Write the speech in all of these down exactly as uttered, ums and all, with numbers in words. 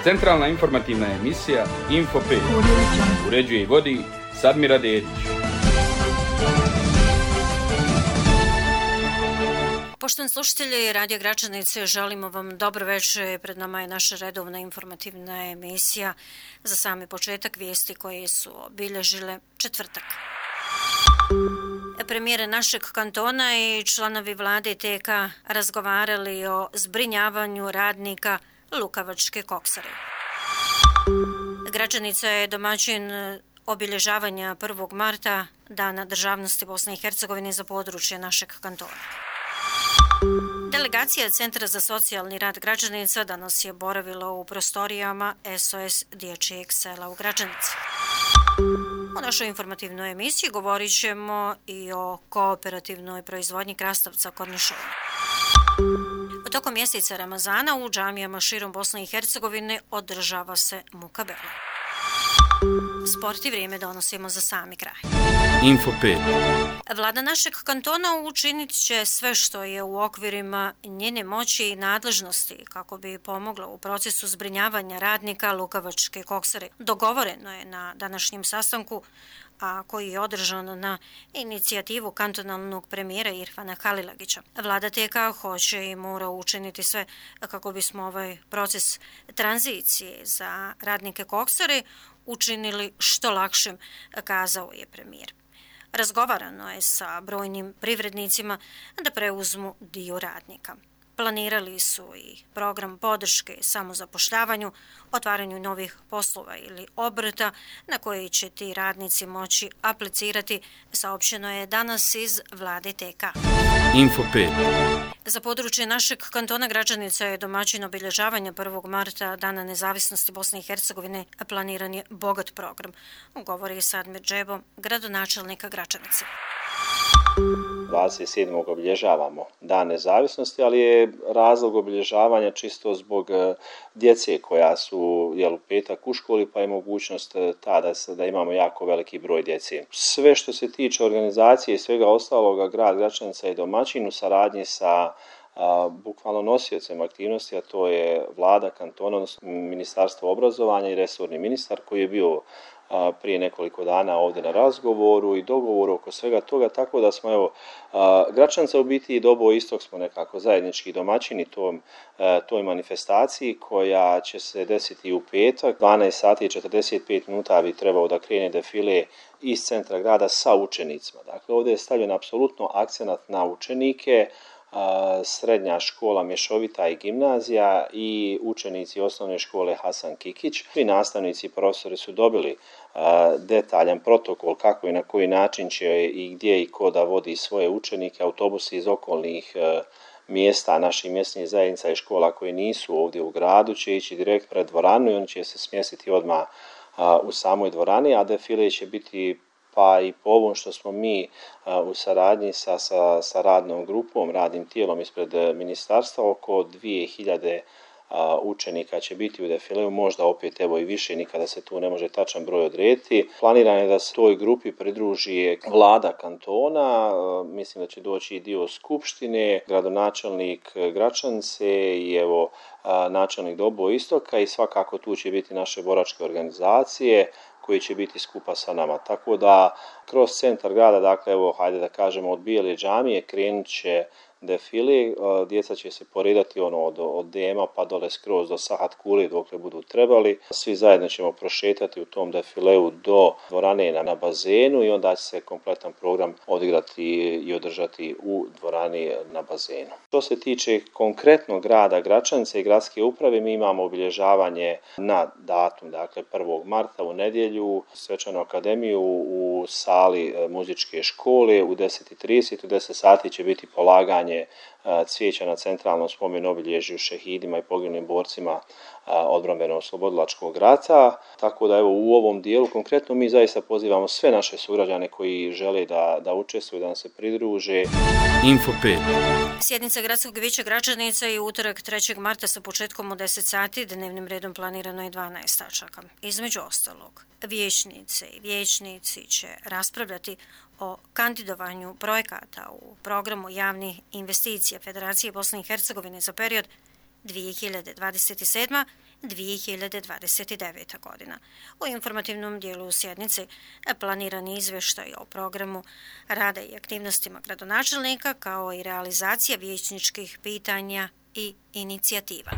Centralna informativna emisija Info pet. Uređuje i vodi Sadmira Dedić. Poštovani slušatelji Radio Gračanice, želimo vam dobro večer. Pred nama je naša redovna informativna emisija za sami početak vijesti koje su obilježile četvrtak. Premijer našeg kantona i članovi vlade T K razgovarali o zbrinjavanju radnika Lukavačke koksare. Gračanica je domaćin obilježavanja prvog marta, Dana državnosti Bosne i Hercegovine za područje našeg kantona. Delegacija Centra za socijalni rad Gračanica danas je boravila u prostorijama S O S dječjeg sela u Gračanici. U našoj informativnoj emisiji govorit ćemo i o kooperativnoj proizvodnji krastavca Kornišova. U tokom mjeseca Ramazana u džamijama širom Bosne i Hercegovine održava se mukabela. Sport i vrijeme donosimo za sami kraj. Info pet. Vlada našeg kantona učinit će sve što je u okvirima njene moći i nadležnosti kako bi pomogla u procesu zbrinjavanja radnika Lukavačke koksare. Dogovoreno je na današnjem sastanku, a koji je održan na inicijativu kantonalnog premijera Irfana Halilagića. Vlada T K hoće i mora učiniti sve kako bismo ovaj proces tranzicije za radnike koksare učinili što lakšim, kazao je premijer. Razgovarano je sa brojnim privrednicima da preuzmu dio radnika. Planirali su i program podrške samozapošljavanju, otvaranju novih poslova ili obrta na koji će ti radnici moći aplicirati, saopćeno je danas iz vlade T K. Info pet. Za područje našeg kantona Gračanica je domaćin obilježavanja prvog marta, Dana nezavisnosti Bosne i Hercegovine, planiran je bogat program, govori Sadmir Džebo, gradonačelnika Gračanice. dvadeset sedmog obilježavamo Dan nezavisnosti, ali je razlog obilježavanja čisto zbog djece koja su jel, u petak u školi, pa je mogućnost ta da, da imamo jako veliki broj djece. Sve što se tiče organizacije i svega ostaloga, grad Gračanica je domaćin u saradnji sa a, bukvalno nosiocem aktivnosti, a to je vlada kantona, odnosno Ministarstvo obrazovanja i resorni ministar koji je bio prije nekoliko dana ovdje na razgovoru i dogovoru oko svega toga, tako da smo evo Gračanca u biti i Dobo Istok smo nekako zajednički domaćini tom, toj manifestaciji koja će se desiti u petak. dvanaest sati i četrdeset pet minuta bi trebao da krene defile iz centra grada sa učenicima. Dakle, ovdje je stavljen apsolutno akcenat na učenike, srednja škola Mješovita i gimnazija i učenici osnovne škole Hasan Kikić. Svi nastavnici i profesori su dobili detaljan protokol kako i na koji način će i gdje i ko da vodi svoje učenike. Autobusi iz okolnih mjesta, naših mjesnih zajednica i škola koji nisu ovdje u gradu će ići direkt pred dvoranu i oni će se smjestiti odmah u samoj dvorani, a defile će biti pa i po ovom što smo mi uh, u saradnji sa, sa, sa radnom grupom, radnim tijelom ispred ministarstva, oko dvije hiljade uh, učenika će biti u defileu, možda opet evo i više, nikada se tu ne može tačan broj odrediti. Planirano je da se toj grupi pridruži vlada kantona, uh, mislim da će doći i dio skupštine, gradonačelnik Gračance i evo uh, načelnik Dobo Istoka i svakako tu će biti naše boračke organizacije koji će biti skupa sa nama. Tako da kroz centar grada, dakle evo hajde da kažemo od Bijele džamije krenut će defile, djeca će se poredati ono od, od Dema pa dole skroz do Sahat Kuli dokle budu trebali. Svi zajedno ćemo prošetati u tom defileu do dvorane na, na bazenu i onda će se kompletan program odigrati i održati u dvorani na bazenu. Što se tiče konkretno grada Gračanice i gradske uprave, mi imamo obilježavanje na datum, dakle prvog marta u nedjelju, svečanu akademiju u sali muzičke škole u deset i trideset, u deset sati će biti polaganje cvijeća na centralnom spomen obilježju šehidima i poginulim borcima odbrambeno-oslobodilačkog rata. Tako da evo u ovom dijelu konkretno mi zaista pozivamo sve naše sugrađane koji žele da, da učestvuju, da nam se pridruže. Info pet. Sjednica Gradskog vijeća Gračanica je utorak trećeg marta sa početkom u deset sati, dnevnim redom planirano je dvanaest tačaka. Između ostalog, vijećnice i vijećnici će raspravljati o kandidovanju projekata u programu javnih investicija Federacije Bosne i Hercegovine za period dvije hiljade dvadeset sedma do dvije hiljade dvadeset deveta godina. U informativnom dijelu sjednice planiran je izvještaj o programu rada i aktivnostima gradonačelnika kao i realizacija vijećničkih pitanja i inicijativa.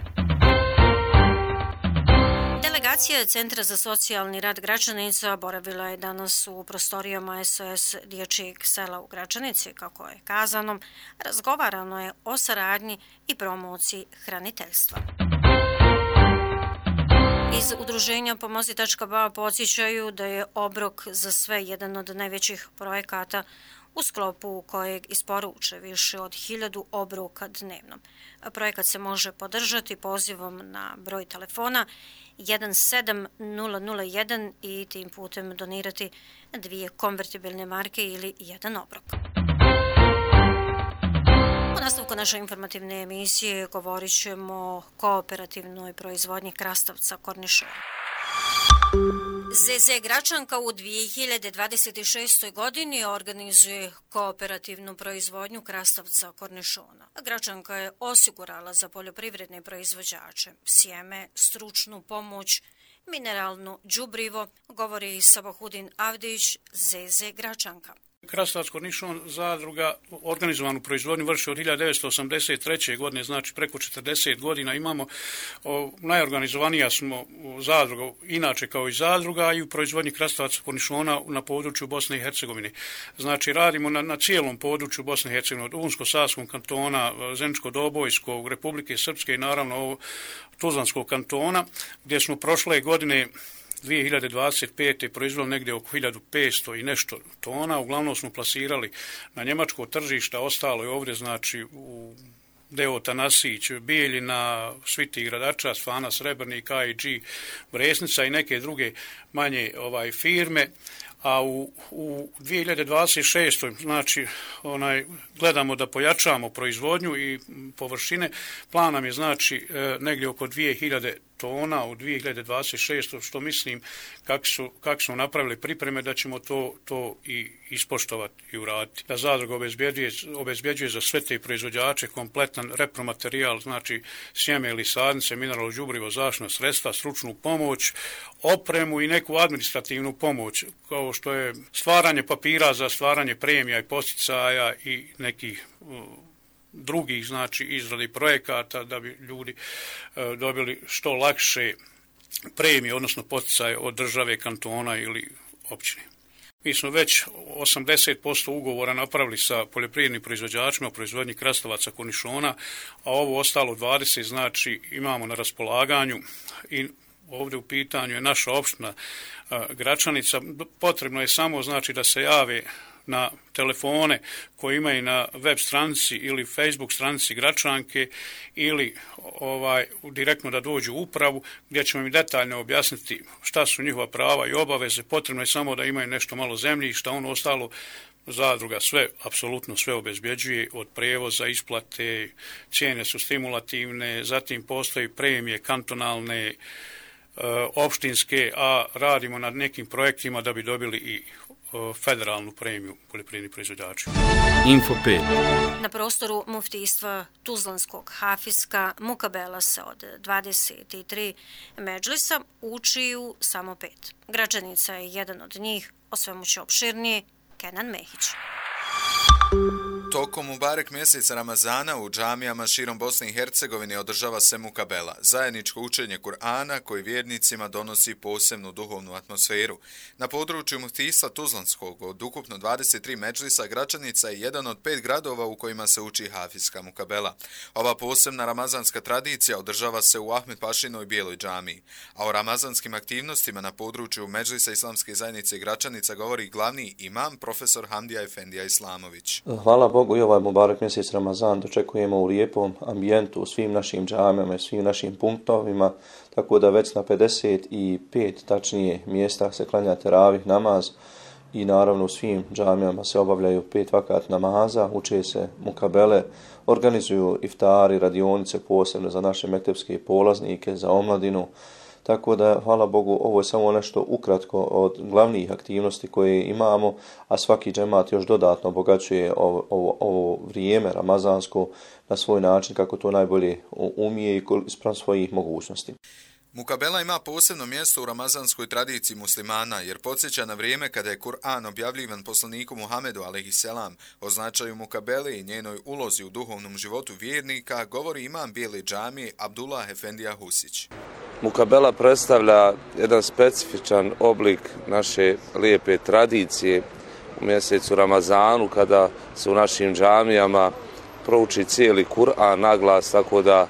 Delegacija Centra za socijalni rad Gračanica boravila je danas u prostorijama S O S dječjeg sela u Gračanici. Kako je kazano, razgovarano je o saradnji i promociji hraniteljstva. Iz udruženja Pomozi tačka ba podsjećaju da je obrok za sve jedan od najvećih projekata u sklopu kojeg isporuče više od hiljadu obroka dnevno. Projekat se može podržati pozivom na broj telefona jedan sedam nula nula jedan i tim putem donirati dvije konvertibilne marke ili jedan obrok. U nastavku naše informativne emisije govorit ćemo o kooperativnoj proizvodnji krastavca kornišona. Z Z Gračanka u dvije hiljade dvadeset šestoj. godini organizuje kooperativnu proizvodnju krastavca kornišona. Gračanka je osigurala za poljoprivredne proizvođače sjeme, stručnu pomoć, mineralno đubrivo, govori Sabahudin Avdić, Z Z Gračanka. Krastavac Kornišon zadruga organizovanu proizvodnju vrši od hiljadu devetsto osamdeset treće. godine, znači preko četrdeset godina. Imamo, o, najorganizovanija smo zadruga, inače kao i zadruga, i u proizvodnji krastavaca Kornišona na području Bosne i Hercegovine. Znači radimo na, na cijelom području Bosne i Hercegovine, od Unsko-Savskog kantona, Zeničko-Dobojskog, Republike Srpske i naravno ovo Tuzlanskog kantona, gdje smo prošle godine dvije hiljade dvadeset pete. proizveli negdje oko hiljadu petsto i nešto tona. Uglavnom smo plasirali na njemačko tržište, ostalo je ovdje znači u Deo Tanasić, Bijeljina, Sviti Gradačac, Fana Srebrnik, A I G Bresnica i neke druge manje ovaj firme. A u, u dvije hiljade dvadeset šestoj. znači onaj, gledamo da pojačamo proizvodnju i površine. Plan nam je znači negdje oko dvije hiljade tona u dvije hiljade dvadeset šestoj. što mislim kako su, kako su napravili pripreme da ćemo to, to i ispoštovati i uraditi. Da zadruga obezbjeđuje, obezbjeđuje za sve te proizvođače kompletan repromaterijal, znači sjeme ili sadnice, mineralno đubrivo, zaštitna sredstva, stručnu pomoć, opremu i neku administrativnu pomoć, kao što je stvaranje papira za stvaranje premija i posticaja i nekih drugih, znači izradi projekata da bi ljudi e, dobili što lakše premije, odnosno poticaje od države, kantona ili općine. Mi smo već osamdeset posto ugovora napravili sa poljoprivrednim proizvođačima o proizvodnji krastavaca kornišona, a ovo ostalo dvadeset znači imamo na raspolaganju i ovdje u pitanju je naša opština a, Gračanica. Potrebno je samo znači da se jave na telefone koji imaju na web stranici ili Facebook stranici Gračanke ili ovaj direktno da dođu u upravu gdje ćemo im detaljno objasniti šta su njihova prava i obaveze. Potrebno je samo da imaju nešto malo zemljišta, ono ostalo zadruga sve, apsolutno sve obezbjeđuje, od prijevoza, isplate, cijene su stimulativne, zatim postoji premije kantonalne, opštinske, a radimo na nekim projektima da bi dobili i federalnu premiju poljoprivrednih proizvođača. Info pet. Na prostoru muftijstva Tuzlanskog Hafiska Mukabela se od dvadeset tri medžlisa učiju samo pet. Gračanica je jedan od njih, o svemu će opširnije Kenan Mehić. Tokom Mubarek mjeseca Ramazana u džamijama širom Bosne i Hercegovine održava se Mukabela, zajedničko učenje Kur'ana koji vjernicima donosi posebnu duhovnu atmosferu. Na području muftijstva Tuzlanskog od ukupno dvadeset tri medžlisa Gračanica je jedan od pet gradova u kojima se uči hafizska Mukabela. Ova posebna ramazanska tradicija održava se u Ahmed Pašinoj Bijeloj džamiji, a o ramazanskim aktivnostima na području medžlisa Islamske zajednice Gračanica govori glavni imam profesor Hamdija Efendija Islamović. Hvala Bogu, i ovaj Mubarek mjesec Ramazan dočekujemo u lijepom ambijentu u svim našim džamijama i svim našim punktovima, tako da već na pedeset pet tačnije mjesta se klanja teravih namaz i naravno u svim džamijama se obavljaju pet vakat namaza, uče se mukabele, organizuju iftari, radionice posebno za naše mektepske polaznike, za omladinu. tako da, hvala Bogu, ovo je samo nešto ukratko od glavnih aktivnosti koje imamo, a svaki džemat još dodatno obogaćuje ovo, ovo, ovo vrijeme ramazansko na svoj način kako to najbolje umije i spram svojih mogućnosti. Mukabela ima posebno mjesto u ramazanskoj tradiciji muslimana, jer podsjeća na vrijeme kada je Kur'an objavljivan poslaniku Muhamedu alejhiselam. O značaju Mukabele i njenoj ulozi u duhovnom životu vjernika govori imam Bijele džamije Abdullah Efendija Husić. Mukabela predstavlja jedan specifičan oblik naše lijepe tradicije u mjesecu Ramazanu, kada se u našim džamijama prouči cijeli Kur'an naglas, tako da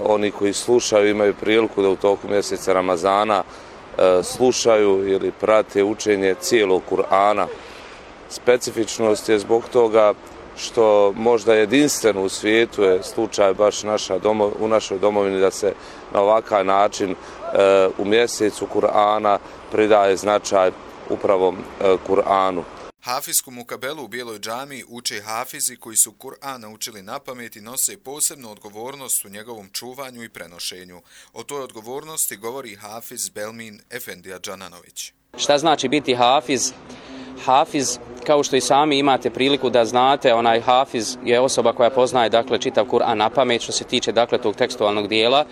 oni koji slušaju imaju priliku da u toku mjeseca Ramazana slušaju ili prate učenje cijelog Kur'ana. Specifičnost je zbog toga što možda jedinstveno u svijetu je slučaj baš naša domo, u našoj domovini da se na ovakav način u mjesecu Kur'ana pridaje značaj upravo Kur'anu. Hafizsku mukabelu u Bijeloj džamiji uče hafizi koji su Kur'an naučili na pamet i nose posebnu odgovornost u njegovom čuvanju i prenošenju. O toj odgovornosti govori hafiz Belmin Efendija Džananović. Šta znači biti hafiz? Hafiz, kao što i sami imate priliku da znate, onaj hafiz je osoba koja poznaje dakle čitav Kur'an na pamet što se tiče dakle tog tekstualnog dijela.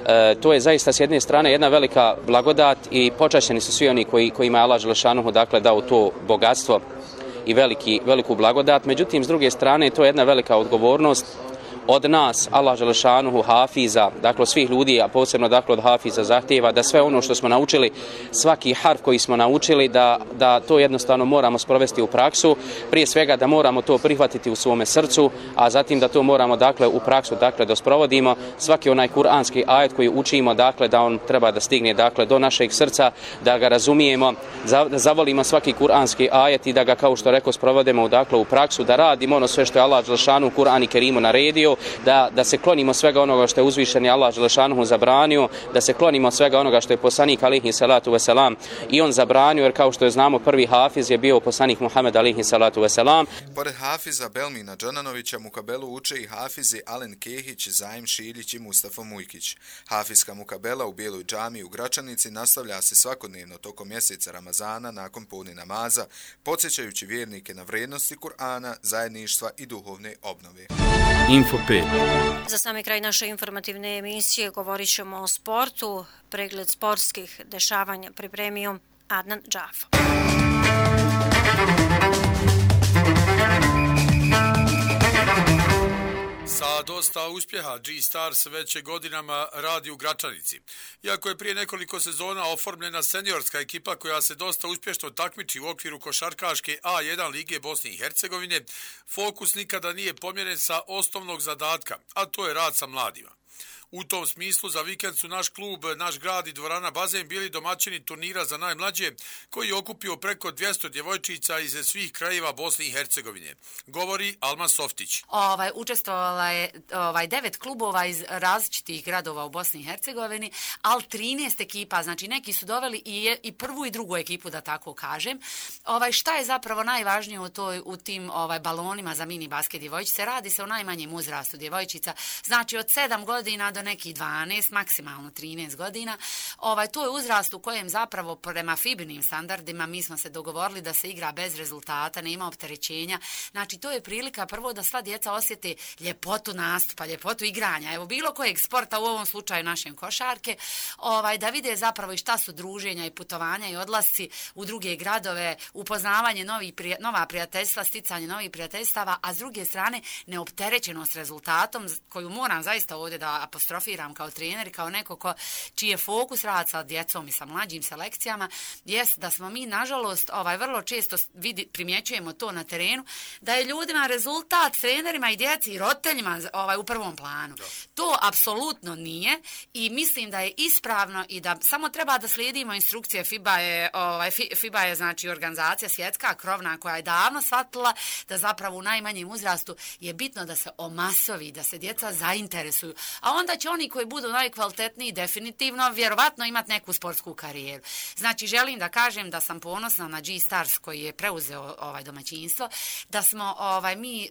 E, to je zaista s jedne strane jedna velika blagodat i počašćeni su svi oni koji kojima je Allah dželešanuhu dakle dao to bogatstvo i veliki, veliku blagodat. Međutim, s druge strane, to je jedna velika odgovornost od nas, Allah dželešanuhu, hafiza, dakle svih ljudi, a posebno dakle od hafiza zahtijeva da sve ono što smo naučili, svaki harf koji smo naučili, da, da to jednostavno moramo sprovesti u praksu, prije svega da moramo to prihvatiti u svome srcu, a zatim da to moramo dakle u praksu dakle da sprovodimo. Svaki onaj kuranski ajet koji učimo, dakle da on treba da stigne dakle do našeg srca, da ga razumijemo, da zavolimo svaki kuranski ajet i da ga, kao što rekao, sprovodimo dakle u praksu, da radimo ono sve što je Allah dželešanuhu Kur'an i Kerimu naredio, Da, da se klonimo svega onoga što je uzvišeni Allah dželešanuhu zabranio, da se klonimo svega onoga što je poslanik alejhi salatu veselam i on zabranio, jer kao što je znamo prvi hafiz je bio poslanik Muhammed alejhi salatu veselam. Pored hafiza Belmina Džananovića, mukabelu uče i hafizi Alen Kehić, Zaim Šiljić i Mustafa Mujkić. Hafizska mukabela u Bijeloj džamiji u Gračanici nastavlja se svakodnevno tokom mjeseca Ramazana nakon podne namaza, podsjećajući vjernike na vrijednosti Kur'ana, zajedništva i duhovne obnove. Info pet. Za sami kraj naše informativne emisije govorit ćemo o sportu. Pregled sportskih dešavanja pripremio Adnan Džafo. Sa dosta uspjeha G-Stars već je godinama radi u Gračanici. Iako je prije nekoliko sezona oformljena seniorska ekipa koja se dosta uspješno takmiči u okviru košarkaške A jedan Lige Bosne i Hercegovine, fokus nikada nije pomjeren sa osnovnog zadatka, a to je rad sa mladima. U tom smislu za vikend su naš klub, naš grad i dvorana Bazen bili domaćini turnira za najmlađe koji je okupio preko dvjesto djevojčica iz svih krajeva Bosne i Hercegovine. Govori Alma Softić. Ovaj, učestvovala je ovaj, devet klubova iz različitih gradova u Bosni i Hercegovini, ali trinaest ekipa, znači neki su doveli i, je, i prvu i drugu ekipu, da tako kažem. Ovaj, šta je zapravo najvažnije u, toj, u tim ovaj, balonima za mini basket djevojčice? Radi se o najmanjem uzrastu djevojčica, znači od sedam godina do nekih dvanaest, maksimalno trinaest godina. Ovaj, to je uzrast u kojem zapravo prema F I B-nim standardima mi smo se dogovorili da se igra bez rezultata, nema opterećenja. Znači to je prilika prvo da sva djeca osjete ljepotu nastupa, ljepotu igranja. Evo bilo kojeg sporta, u ovom slučaju našem košarke, ovaj, da vide zapravo i šta su druženja i putovanja i odlasci u druge gradove, upoznavanje novih prija, nova prijateljstva, sticanje novih prijateljstava, a s druge strane neopterećenost rezultatom koju moram zaista ovdje da apostrofiram kao trener i kao neko ko, čiji je fokus rad sa djecom i sa mlađim selekcijama, jest da smo mi, nažalost, ovaj, vrlo često vidi, primjećujemo to na terenu, da je ljudima rezultat, trenerima i djeci i roditeljima ovaj, u prvom planu. Da. To apsolutno nije i mislim da je ispravno i da samo treba da slijedimo instrukcije. F I B A je, ovaj, F I B A je znači organizacija svjetska, krovna, koja je davno shvatila da zapravo u najmanjem uzrastu je bitno da se omasovi, da se djeca zainteresuju. A onda će oni koji budu najkvalitetniji definitivno vjerovatno imati neku sportsku karijeru. Znači želim da kažem da sam ponosna na G-Stars koji je preuzeo ovaj domaćinstvo, da smo ovaj mi e,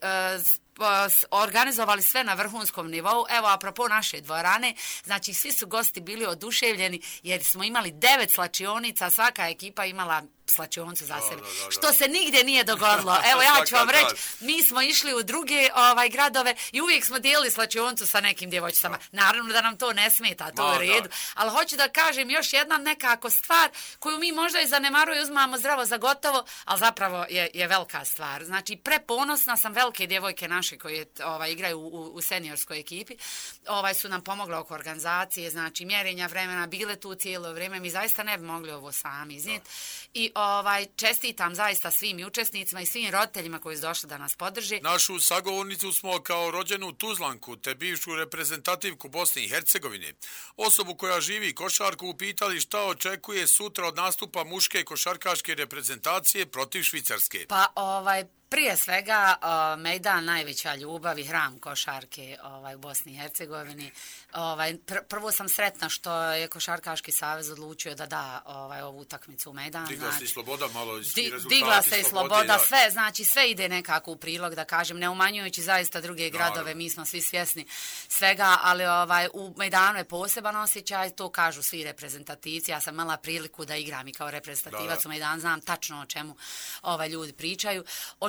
organizovali sve na vrhunskom nivou. Evo, apropo naše dvorane, znači svi su gosti bili oduševljeni jer smo imali devet slačionica, svaka ekipa imala slačioncu za sebe, da, da, da. Što se nigdje nije dogodilo. Evo ja ću vam reći, mi smo išli u druge ovaj, gradove i uvijek smo dijelili slačioncu sa nekim djevojčicama. Naravno da nam to ne smeta, to je u redu. Ali hoću da kažem još jedna nekako stvar koju mi možda i zanemaruje, uzmamo zdravo za gotovo, ali zapravo je, je velika stvar. Znači, preponosna sam, velike djevojke naše koje ovaj, igraju u, u seniorskoj ekipi, ovaj, su nam pomogle oko organizacije, znači mjerenja vremena, bile tu cijelo vrijeme, mi zaista ne bi mogli ovo sami iznijeti. I ovaj, čestitam zaista svim učesnicima i svim roditeljima koji su došli da nas podrži. Našu sagovornicu smo kao rođenu Tuzlanku te bivšu reprezentativku Bosne i Hercegovine, osobu koja živi košarku, upitali šta očekuje sutra od nastupa muške košarkaške reprezentacije protiv Švicarske. Pa ovaj... Prije svega, uh, Mejdan najveća ljubav i hram košarke ovaj, u Bosni i Hercegovini. Ovaj, pr prvo sam sretna što je Košarkaški savez odlučio da da ovaj, ovu utakmicu u Mejdan. Digla znači, se i sloboda malo. Di, digla se i sloboda, da. sve, znači sve ide nekako u prilog, da kažem, ne umanjujući zaista druge gradove, Naravno. Mi smo svi svjesni svega, ali ovaj, u Mejdanu je poseban osjećaj, to kažu svi reprezentativci. Ja sam imala priliku da igram i kao reprezentativac da, da. u Mejdanu, znam tačno o čemu ovaj, ljudi pričaju.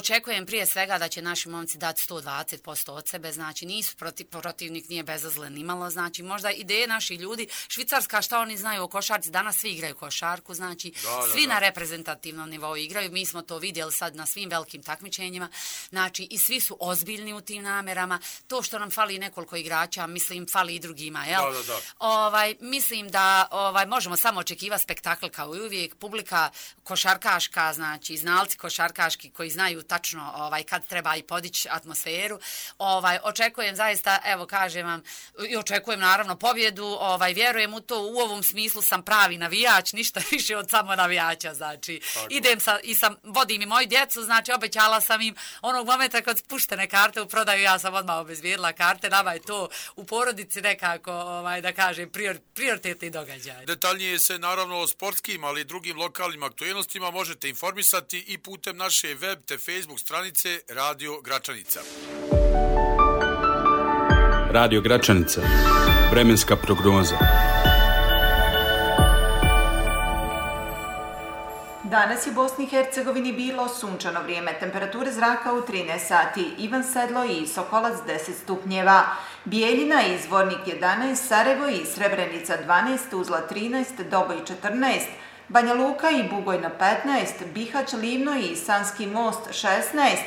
Očekujem prije svega da će naši momci dati sto dvadeset posto od sebe, znači nisu protiv, protivnik nije bezazlen nimalo, znači možda ideje naših ljudi, Švicarska šta oni znaju o košarci, danas svi igraju košarku, znači da, svi da, da. na reprezentativnom nivou igraju, mi smo to vidjeli sad na svim velikim takmičenjima, znači i svi su ozbiljni u tim namerama, to što nam fali nekoliko igrača, mislim fali i drugima, jel? Da, da, da. Ovaj, mislim da ovaj, možemo samo očekivati spektakl kao i uvijek, publika košarkaška, znači znalci košarkaški koji znaju tačno ovaj, kad treba i podići atmosferu, ovaj, očekujem zaista, evo kažem vam, i očekujem naravno pobjedu, ovaj, vjerujem u to, u ovom smislu sam pravi navijač, ništa više od samo navijača, znači Tako. idem sa, i sam, vodim i moju djecu, znači obećala sam im onog momenta kad spuštene karte u prodaju, ja sam odmah obezbijedila karte, nama je to u porodici nekako, ovaj, da kažem, prior, prioritetni događaj. Detaljnije se naravno o sportskim, ali i drugim lokalnim aktualnostima možete informisati i putem naše web te Facebook stranice Radio Gračanica. Radio Gračanica. Vremenska prognoza. Danas je u Bosni i Hercegovini bilo sunčano vrijeme, temperature zraka u trinaest sati, Ivan Sedlo i Sokolac deset stupnjeva, Bijeljina i Zvornik jedanaest, Sarajevo i Srebrenica dvanaest, Tuzla trinaest, Doboj četrnaest, Banja Luka i Bugojna petnaest, Bihać, Livno i Sanski most šesnaest,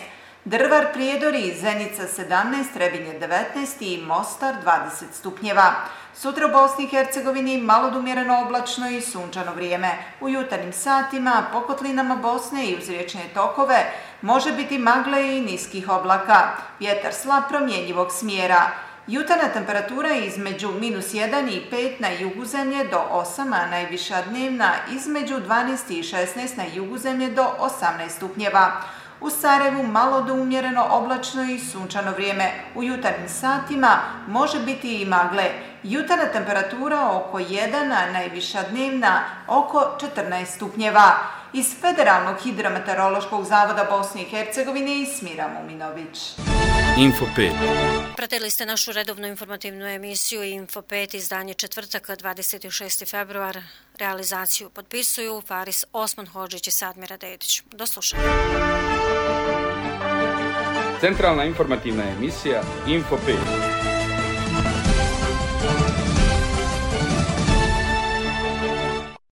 Drvar, Prijedor i Zenica sedamnaest, Trebinje devetnaest i Mostar dvadeset stupnjeva. Sutra u Bosni i Hercegovini malo do umjereno oblačno i sunčano vrijeme. U jutarnjim satima po kotlinama Bosne i uz riječne tokove može biti magle i niskih oblaka. Vjetar slab promjenjivog smjera. Jutarnja temperatura između minus jedan i pet na jugu zemlje do osam, a najviša dnevna između dvanaest i šesnaest na jugu zemlje do osamnaest stupnjeva. U Sarajevu malo do umjereno oblačno i sunčano vrijeme. U jutarnjim satima može biti i magle. Jutarnja temperatura oko jedan, a najviša dnevna oko četrnaest stupnjeva. Iz Federalnog hidrometeorološkog zavoda Bosne i Hercegovine i Smira Muminović. Info pet. Pratili ste našu redovnu informativnu emisiju Info pet, izdanje četvrtak, dvadeset šesti februar. Realizaciju potpisuju Faris Osman Hodžić i Sadmira Dedić. Do slušanja. Centralna informativna emisija Info pet.